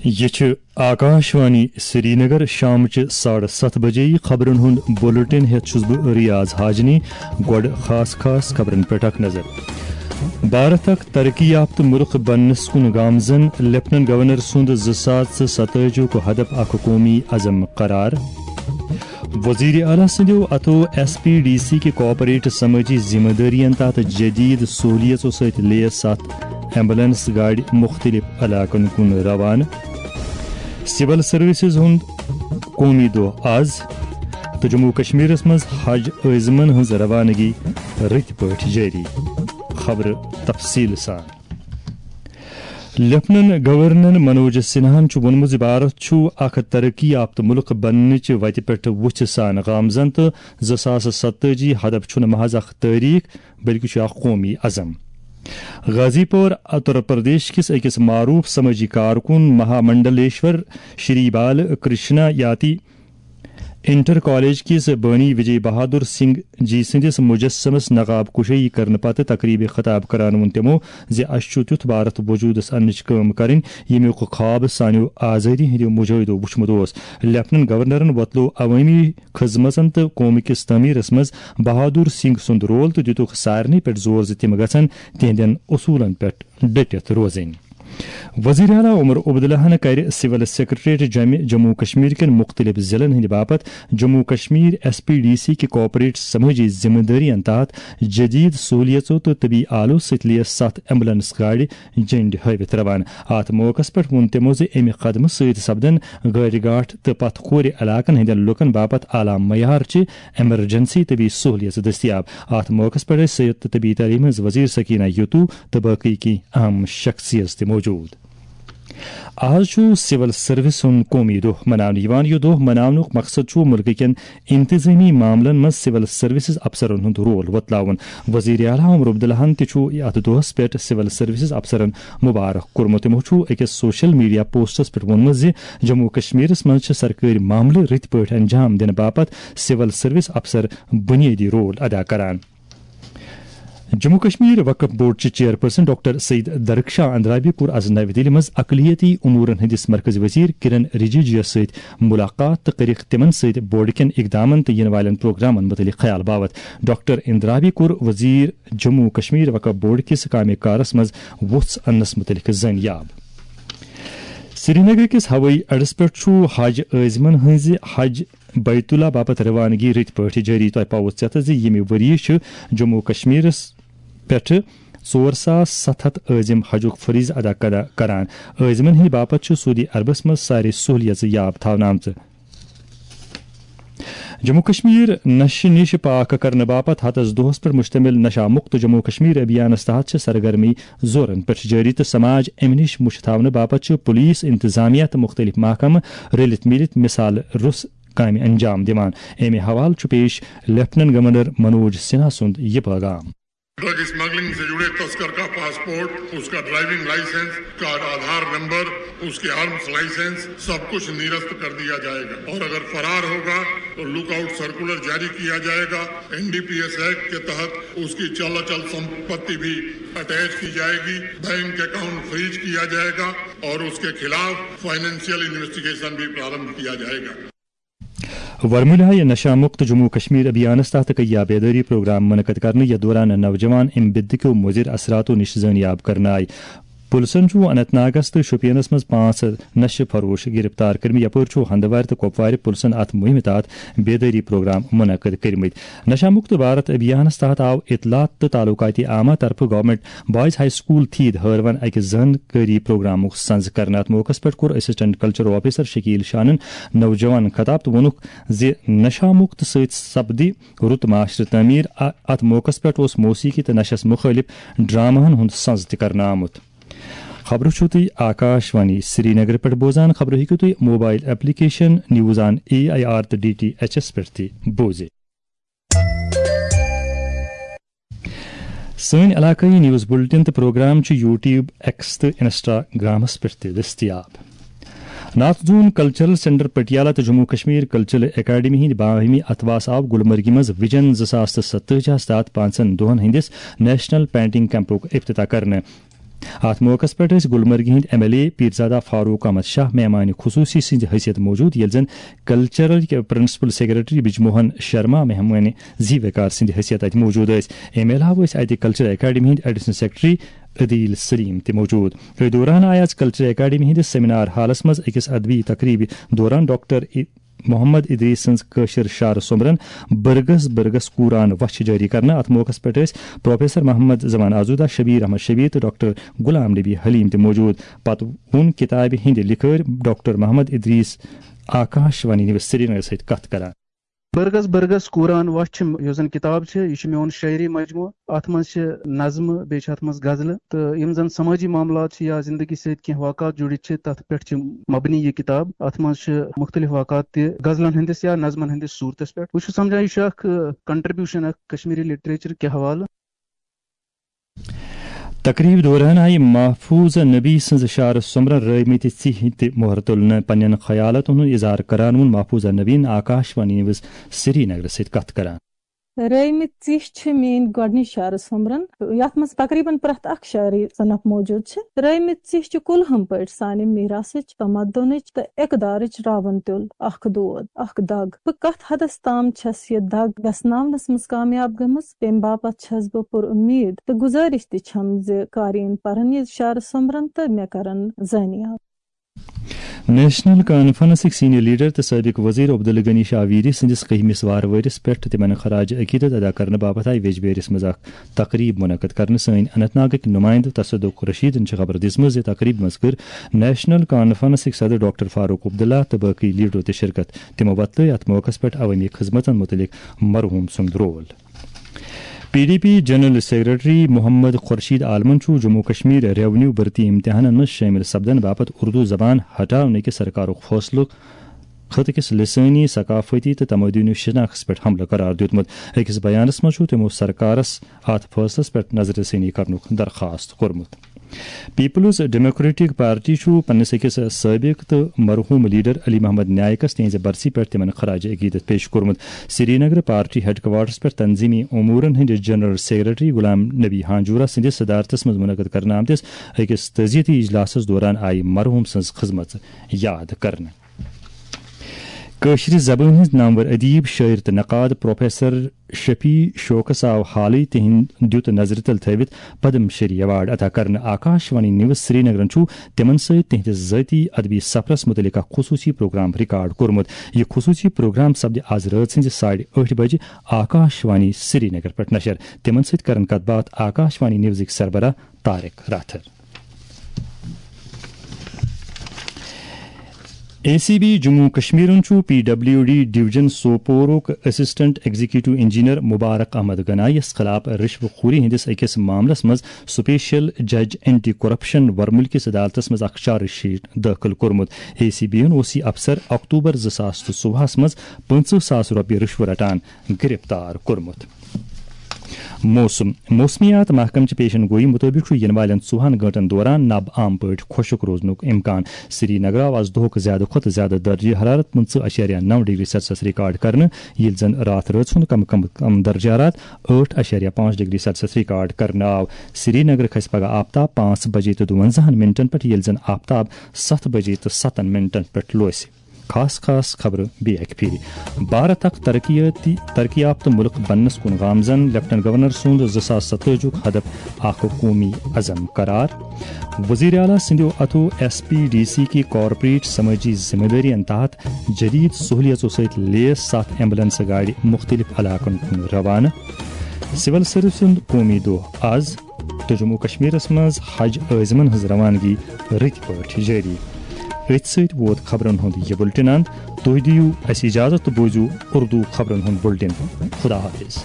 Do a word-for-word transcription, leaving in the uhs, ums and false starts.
یہِ چھِ آکاشوانی سرینگر۔ شامچہِ ساڑٕ ستھ بجے خبرن ہُنٛد بُلٹن ہٮ۪تھ چھُس بہٕ ریاض حاجنی۔ گۄڈٕ خاص خاص خبرن پٮ۪ٹھ اکھ نظر۔ بھارت اکھ ترقی یافتہٕ مُلک بننس کُن گامزن، لیفٹننٹ گورنر سُنٛد زٕ ساس تہٕ ستٲجی ہُک ہدف اکھ قومی عزم قرار۔ وزیر اعلیٰ سٕنٛدیو اتھو ایس پی ڈی سی کہِ کارپوریٹ سمٲجی ذمہٕ دٲرین تحت جدید سہولیژو سۭتۍ لیس ستھ ایمبولینس گاڑِ مُختٔلِف علاقن کُن روانہٕ۔ سول سروسز ہُنٛد قومی دۄہ آز، تہٕ جموں و کشمیرس منٛز حج عٲزمن ہٕنٛز روانگی رٕتۍ پٲٹھۍ جٲری۔ خبرٕ تفصیٖل سان۔ لیفٹننٹ گورنر منوج سنہاہن چھُ ووٚنمُت زِ بھارت چھُ اکھ ترقی یافتہٕ مُلک بننٕچہِ وتہِ پٮ۪ٹھ وُژھِ سان گامزن تہٕ زٕ ساس ستٲجی ہدف چھُنہٕ محض اکھ تٲریخ، بلکہِ چھُ اکھ قومی عزم۔ غازی پور اتر پردیش کِس أکِس معروف سمٲجی کارکُن مہا منڈلیشور شری بال کرشنا یاتی انٹر کالج کِس بٲنی وجے بہادر سنگھ جی سٕنٛدِس مجسمس نقاب کشٲیی کرنہٕ پتہٕ تقریبہِ خطاب کران ووٚن تِمو زِ اسہِ چھُ تیُتھ بھارت وجودس اننٕچ کٲم کرٕنۍ، ییٚمیُک خواب سانیو آزٲدی ہٕنٛدیو مجاہدو وُچھمُت اوس۔ لیفٹننٹ گورنرن وۄتلوو عوٲمی خدمژن تہٕ قومہٕ کِس تعمیرس منٛز بہادر سنگھ سُنٛد رول تہٕ دِتُکھ سارنٕے پٮ۪ٹھ زور زِ تِم گژھن تِہنٛدٮ۪ن اصوٗلن پٮ۪ٹھ ڈٔٹِتھ روزٕنۍ۔ وزیر اعلیٰ عمر عبداللہن کرِ سول سیکرٹریٹ جمہِ جموں و کشمیر کٮ۪ن مُختٔلِف ضلعن ہٕنٛدِ باپتھ جموں و Kashmir S P D C کہِ کارپوریٹ سمٲجی ذمہٕ دٲرین تحت جدید سہولیژو تہٕ طبی آلو سۭتۍ لیس ستھ ایمبولینس گاڑِ جنڈِ ہٲوِتھ روانہٕ۔ اتھ موقعس پٮ۪ٹھ ووٚن تِمو زِ امہِ قدمہٕ سۭتۍ سپدن غٲرِ گاٹھ تہٕ پتھ کھورِ علاقن ہٕنٛدٮ۪ن لوٗکن باپتھ اعلیٰ معیارچہِ ایمرجنسی طبی سہولیژ دٔستیاب۔ اتھ موقعس پٮ۪ٹھ ٲسۍ صحت تہٕ طبی تعلیٖم ہٕنٛز وزیر سکینہ یتو تہٕ باقٕے کینٛہہ اہم شخصیژ تہِ موجود۔ آز چھُ سول سروس ہُنٛد قومی دۄہ مناونہٕ یِوان۔ یہِ دۄہ مناونُک مقصد چھُ مُلکہٕ کٮ۪ن انتظٲمی معاملن منٛز سول سروسز افسرن ہُنٛد رول وۄتلاوُن۔ وزیر اعلیٰ عمر عبداللہن تہِ چھُ اتھ دۄہس پٮ۪ٹھ سول سروسز افسرن مبارک کوٚرمُت۔ تِمو چھُ أکِس سوشل میڈیا پوسٹس پٮ۪ٹھ ووٚنمُت زِ جموں و کشمیرس منٛز چھِ سرکٲرۍ معاملہٕ رٕتۍ پٲٹھۍ انجام دِنہٕ باپتھ سول سروس افسر بنیٲدی رول ادا کران۔ جموں کشمیر وقف بورڈ چہِ چیئرپرسن ڈاکٹر سعید درخشاں اندرابی کوٚر از نَوِ دِلہِ منٛز اقلیتی امورن ہٕنٛدِس مرکزی وزیر کرن رجیجویس سۭتۍ ملاقات تہٕ کٔرِکھ تِمن سۭتۍ بورڈ کٮ۪ن اقدامن تہٕ یِنہٕ والٮ۪ن پروگرامن مُتعلق خیال باوت۔ ڈاکٹر اندرابی کوٚر وزیر جموں کشمیر وقف بورڈ کِس کامہِ کارس منٛز وُژھ اننس مُتعلق زٲنیاب۔ سرینگر کِس ہوٲیی اڈس پٮ۪ٹھ چھُ حج عٲزمن ہٕنٛزِ حج بیت اللہ باپتھ روانگی رٕتۍ پٲٹھۍ جٲری۔ تۄہہِ پاوو ژٮ۪تھ زِ ییٚمہِ ؤریہِ چھِ جموں و کشمیرس پٮ۪ٹھٕ ژور ساس ستھ ہتھ عٲزم حجُک فریضہٕ ادا کرا-، کران۔ عٲزمن ہٕنٛدِ باپتھ چھِ سعودی عربس منٛز سارے سہولیژٕ یاب تھاونہٕ آمژٕ۔ جموں کشمیر نشہٕ نِش پاک کرنہٕ باپتھ ہتس دۄہس پٮ۪ٹھ مشتمل نشہ مکت جموں کشمیر ابھیانس تحت چھِ سرگرمی زورن پٮ۪ٹھ جٲری تہٕ سماج امہِ نِش مُشت تھاونہٕ باپتھ چھِ پولیس، انتظامیہ تہٕ مُختٔلِف محکمہٕ رٔلِتھ مِلِتھ مثال رُس کامہِ انجام دِوان۔ امہِ حوالہٕ چھُ پیش لیفٹننٹ گورنر منوج سنہا سُنٛد یہِ پیغام۔ ड्रग स्मगलिंग से जुड़े तस्कर का पासपोर्ट, उसका ड्राइविंग लाइसेंस, उसका आधार नंबर, उसके आर्म्स लाइसेंस, सब कुछ निरस्त कर दिया जाएगा और अगर फरार होगा तो लुकआउट सर्कुलर जारी किया जाएगा। एनडीपीएस एक्ट के तहत उसकी चल अचल संपत्ति भी अटैच की जाएगी, बैंक अकाउंट फ्रीज किया जाएगा और उसके खिलाफ फाइनेंशियल इन्वेस्टिगेशन भी प्रारंभ किया जाएगा। ورمُلہِ آیہِ نشہ مکت جموں و کشمیر ابھیانس تحت کیا بیدٲری پروگرام منعقد کرنہٕ، یتھ دوران نوجوان امہِ بدعہ کیو مضر اثراتو نِش زٲنیاب کرنہٕ آیہِ۔ پُلسن چھُ اننت ناگس تہٕ شوپینس منٛز پانٛژھ نشہٕ فروش گرفتار کٔرمٕتۍ، یپٲرۍ چھُ ہندوارِ تہٕ کۄپوارِ پُلسن اتھ مُہِمہِ تحت بیدٲری پروگرام منعقد کٔرمٕتۍ۔ نشہ مکت بھارت ابھیانس تحت آو اطلاعات تہٕ تعلقات عامہ طرفہٕ گورنمنٹ بوائز ہائی سکول تھید ہٲروَن اَکہِ زانکٲری پروگرامُک سنز کرنہٕ۔ اَتھ موقعس پٮ۪ٹھ کوٚر اسسٹنٹ کلچرل آفیسر شکیل شانن نوجوانن خطاب تہٕ ووٚنُکھ زِ نشہ مکت سۭتۍ سپدِ رُت معاشرٕ تعمیٖر۔ اَ-، اَتھ موقعس پٮ۪ٹھ اوس موسیقی تہٕ نشس مُخٲلف ڈراماہن ہُنٛد سنز تہِ کرنہٕ آمُت۔ خبرٕ چھِو تُہۍ آکاش وانی سرینگرٕ پٮ۪ٹھ بوزان۔ خبرٕ ہیٚکِو تُہۍ mobile application news on A I R تہٕ ڈی ٹی ایچ ایس پٮ۪ٹھ تہِ بوٗزِتھ۔ سٲنۍ علاقٲیی نیوز بُلٹن تہٕ پروگرام چھِ یوٗٹیوب، ایکس تہٕ انسٹاگرامس پٮ۪ٹھ تہِ دٔستیاب۔ ناتھ زون کلچرل سینٹر پٹیالہ تہٕ جموں کشمیر کلچرل اکیڈمی ہٕنٛدِ باہمی اتھواس آو گلمرگہِ منٛز وِجن زٕ ساس تہٕ ستٲجی ہس تحت پانٛژن دۄہن ہٕنٛدِس نیشنل پینٹنگ کیمپُک افتتاح کرنہٕ۔ اتھ موقعس پٮ۪ٹھ ٲسۍ گلمرگہِ ہٕنٛدۍ M L A Pirzada Farooq Ahmad Shah مہمان خصوصی سٕنٛزِ حیثیت موجود، ییٚلہِ زن cultural principal secretary Brijmohan Sharma مہمان زی وقار سٕنٛدِ حیثیت اتہِ موجود ٲسۍ۔ امہِ علاوٕ ٲسۍ اتہِ کلچرل اکیڈمی ہٕنٛدۍ ایڈیشنل سیکرٹری عدیل سلیم تہِ موجود۔ أتھۍ دوران آیہِ آز کلچرل اکیڈمی ہٕنٛدِس سیمینار ہالس منٛز أکِس ادبی تقریبہِ دوران ڈاکٹر ای-، محمد ادریس سٕنٛز کٲشِر شعر سومبرن برگس برگس قرآن وچھ جٲری کرنہٕ۔ اتھ موقعس پٮ۪ٹھ ٲسۍ پروفیسر محمد زمان آزودہ، شبیر احمد شبیر تہٕ ڈاکٹر غلام نبی حلیم تہِ موجود۔ پتہٕ ووٚن کتابہِ ہٕنٛدِ لکھٲرۍ ڈاکٹر محمد ادریس آکاش وانی نیوز سرینگر سۭتۍ کتھ کران۔ برگس برگس قرآن وچھ چھِ یۄس زن کتاب چھِ، یہِ چھِ میون شٲعری مجموعہٕ۔ اتھ منٛز چھِ نظمہٕ، بیٚیہِ چھِ اتھ منٛز غزلہٕ، تہٕ یِم زن سمٲجی معاملات چھِ یا زندگی سۭتۍ کینٛہہ واقعات جُڑِتھ چھِ، تتھ پٮ۪ٹھ چھِ مبنی یہِ کتاب۔ اتھ منٛز چھِ مختلف واقعات تہِ غزلن ہٕنٛدِس یا نظمن ہٕنٛدِس صورتس پٮ۪ٹھ۔ بہٕ چھُس سمجھان، یہِ چھُ اکھ، ٲ، contribution اکھ کشمیری literature کہِ حوالہٕ۔ تقریب دوران آیہِ محفوظہ نبی سٕنٛز شعر سومبرن رٲومٕتۍ ژِہۍ تہِ مۄہر تُلنہٕ۔ پننٮ۪ن خیالاتن ہُنٛد اظہار کران ووٚن محفوظہ نبیَن آکاش وانی نیوز سرینگرٕ سۭتۍ کتھ کران۔ رٲومٕتۍ ژِہۍ چھِ میٲنۍ گۄڈٕنِچ شعر سومبرن، یتھ منٛز تقریباً پرٛٮ۪تھ اکھ شعری صنف موجود چھِ۔ رٲومٕتۍ ژِہۍ چھِ کُلہُم پٲٹھۍ سانہِ میراثٕچ، تمدنٕچ تہٕ اقدارٕچ راوَن تیوٚل، اکھ دود، اکھ دگ۔ بہٕ کتھ حدس تام چھَس یہِ دگ وٮ۪سناونس منٛز کامیاب گٔمٕژ، تمہِ باپتھ چھَس بہٕ پُر اُمید تہٕ گُزٲرِش تہِ چھَم زِ قارئین پرن یہِ شعر سومبرن تہٕ مےٚ کرن زٲنیاب۔ نیشنل کانفرنسٕکۍ سینئر لیڈر تہٕ سٲبق وزیر عبدالغنی شاہ ویری سٕنٛدِس کٔہمِس وارٕ ؤرِس پٮ۪ٹھ تِمن خراج عقیدت ادا کرنہٕ باپتھ آیہِ ویجبیٲرِس منٛز اکھ تقریب منعقد کرنہٕ۔ سٲنۍ اننت ناگٕکۍ نُمایندٕ تصدق رشیدن چھِ خبر دِژمٕژ زِ تقریب منٛز کٔر نیشنل کانفرنسٕکۍ صدر ڈاکٹر فاروق عبداللہ تہٕ باقٕے لیڈرو تہِ شرکت۔ تِمو وۄتلٲے اتھ موقعس پٮ۪ٹھ عوٲمی خدمتن متعلق مرحوم سُنٛد role. P D P general secretary Mohammad Khurshid عالمن چھُ جموں کشمیر ریونیو بھرتی امتحانن منٛز شٲمِل سپدن باپتھ اردو زبان ہٹاونہٕ کِس سرکارُک فٲصلہٕ خطہٕ کِس لسٲنی، ثقافتی تہٕ تمدنی شناختس پٮ۪ٹھ حملہٕ قرار دیُتمُت۔ أکِس بیانس منٛز چھُ تِمو سرکارس اتھ فٲصلس پٮ۪ٹھ نظر ثانی کرنُک درخاست کوٚرمُت۔ پیپلز ڈیموکریٹک پارٹی چھُ پننِس أکِس سٲبق تہٕ مرحوم لیڈر علی محمد نائیکس تِہنٛزِ برسی پٮ۪ٹھ تِمن خراج عقیدت پیش کوٚرمُت۔ سرینگر پارٹی ہیڈ کوارٹرس پٮ۪ٹھ تنظیمی امورن ہٕنٛدِس جنرل سیکرٹری غلام نبی ہانجورہ سٕنٛدِس صدارتس منٛز منعقد کرنہٕ آمتِس أکِس تعزیتی اجلاسس دوران آیہِ مرحوم سٕنٛز خدمژ یاد کرنہٕ۔ کٲشرِ زبٲنۍ ہٕنٛز نامور ادیب، شٲعر تہٕ نقاد پروفیسر شفیع شوقس آو حالٕے تِہنٛد دیُت نظرِ تل تھٲوِتھ پدم شری ایوارڈ عطا کرنہٕ۔ آکاش وانی نیوز سرینگرن چھُ تِمن سۭتۍ تِہنٛدِس ذٲتی ادبی سفرس مُتعلق اکھ خصوٗصی پروگرام ریکارڈ کوٚرمُت۔ یہِ خصوٗصی پروگرام سپدِ آز رٲژ ہٕنٛزِ ساڑِ ٲٹھِ بجہِ آکاش وانی سرینگر پٮ۪ٹھ نشر۔ تِمن سۭتۍ کرن کتھ باتھ آکاش وانی نیوزٕکۍ سربراہ Tariq Rather. A C B Jammu کشمیرن چھُ پی ڈبلیو ڈی ڈویژن سوپورُک assistant executive engineer Mubarak Ahmad گنایس خلاف رشوٕ خوری ہٕنٛدِس أکِس معاملس منٛز سپیشل جج اینٹی کرپشن ورمُلۍ کِس عدالتس منٛز اکھ چارج شیٹ دٲخل کوٚرمُت۔ اے سی بی ہن اوس یہِ افسر اکتوبر زٕ ساس تہٕ ژۄوُہس منٛز پٕنٛژٕہ ساس رۄپیہِ رشوٕ رٹان گرفتار کوٚرمُت۔ موسم۔ موسمیات محکمہٕ چہِ پیشن گویی مُطٲبِق چھُ یِنہٕ والٮ۪ن ژوٚوُہن گٲنٛٹن دوران نب عام پٲٹھۍ خۄشک روزنُک امکان۔ سرینگر آو آز دۄہُک زیادٕ کھۄتہٕ زیادٕ درجہ حرارت پٕنٛژٕہ اَشاریہ نَو ڈگری سیلسیس ریکارڈ کرنہٕ، ییٚلہِ زن راتھ رٲژ ہُنٛد کم کم کم درجہ حرارت ٲٹھ اَشاریہ پانٛژھ ڈگری سیلسیس ریکارڈ کرنہٕ آو۔ سرینگر کھسہِ پگہہ آفتاب پانٛژھ بجے تہٕ دُوَنزاہن منٹن پٮ۪ٹھ، ییٚلہِ زن آفتاب ستھ بجے تہٕ ستن منٹن پٮ۪ٹھ لوسہِ۔ خاص خاص خبرٕ بیٚیہِ اکہِ پھِرِ۔ بھارت اکھ ترقیاتی، ترقی یافتہٕ مُلک بننس کُن گامزن، لیفٹنٹ گورنر سُنٛد زٕ ساس ستٲجی ہُک ہدف اکھ قومی عزم قرار۔ وزیر اعلیٰ سٕنٛدیو اتھو ایس پی ڈی سی کی کارپوریٹ سمٲجی ذمہ دٲرین تحت جدید سہولیژو سۭتۍ لیس ستھ ایمبولینس گاڑِ مُختٔلِف علاقن کُن روانہٕ۔ سول سروسن قومی دۄہ از۔ تہٕ جموں کشمیرس منٛز حج عٲزمن ہٕنٛز روانگی رٕتۍ پٲٹھۍ جٲری۔ أتھۍ سۭتۍ ووت خبرن ہُنٛد یہِ بُلٹن اند۔ تُہۍ دِیِو اَسہِ اجازت تہٕ بوٗزِو اردو خبرن ہُنٛد بُلٹن۔ خدا حافظ۔